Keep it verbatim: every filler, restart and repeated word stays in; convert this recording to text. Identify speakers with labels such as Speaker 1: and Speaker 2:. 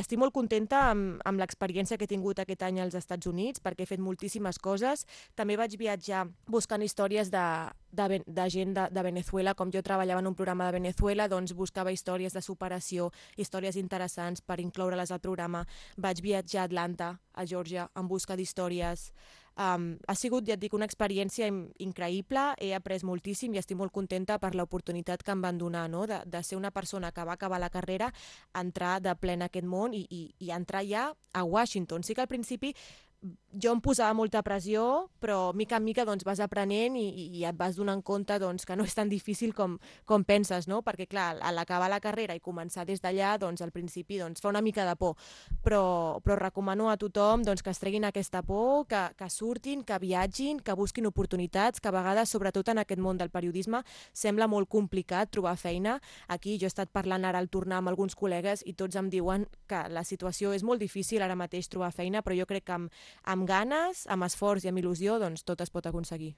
Speaker 1: Estic molt contenta amb, amb l'experiència que he tingut aquest any als Estats Units, perquè he fet moltíssimes coses. També vaig viatjar buscant històries de, de, Ven- de gent de, de Venezuela. Com jo treballava en un programa de Venezuela, doncs buscava històries de superació, històries interessants per incloure-les al programa. Vaig viatjar a Atlanta, a Georgia, en busca d'històries. Um, ha sigut, ja et dic, una experiència in- increïble, he après moltíssim i estic molt contenta per l'oportunitat que em van donar, no? de, de ser una persona que va acabar la carrera, entrar de ple en aquest món i, i, i entrar ja a Washington. Sí que al principi jo em posava molta pressió, però mica en mica doncs, vas aprenent i, i et vas donant compte doncs, que no és tan difícil com, com penses, no? Perquè clar, a l'acabar la carrera i començar des d'allà, doncs, al principi doncs, fa una mica de por, però, però recomano a tothom doncs, que es treguin aquesta por, que, que surtin, que viatgin, que busquin oportunitats, que a vegades, sobretot en aquest món del periodisme, sembla molt complicat trobar feina. Aquí jo he estat parlant ara al tornar amb alguns col·legues i tots em diuen que la situació és molt difícil ara mateix trobar feina, però jo crec que amb, amb ganes, amb esforç i amb il·lusió, doncs tot es pot aconseguir.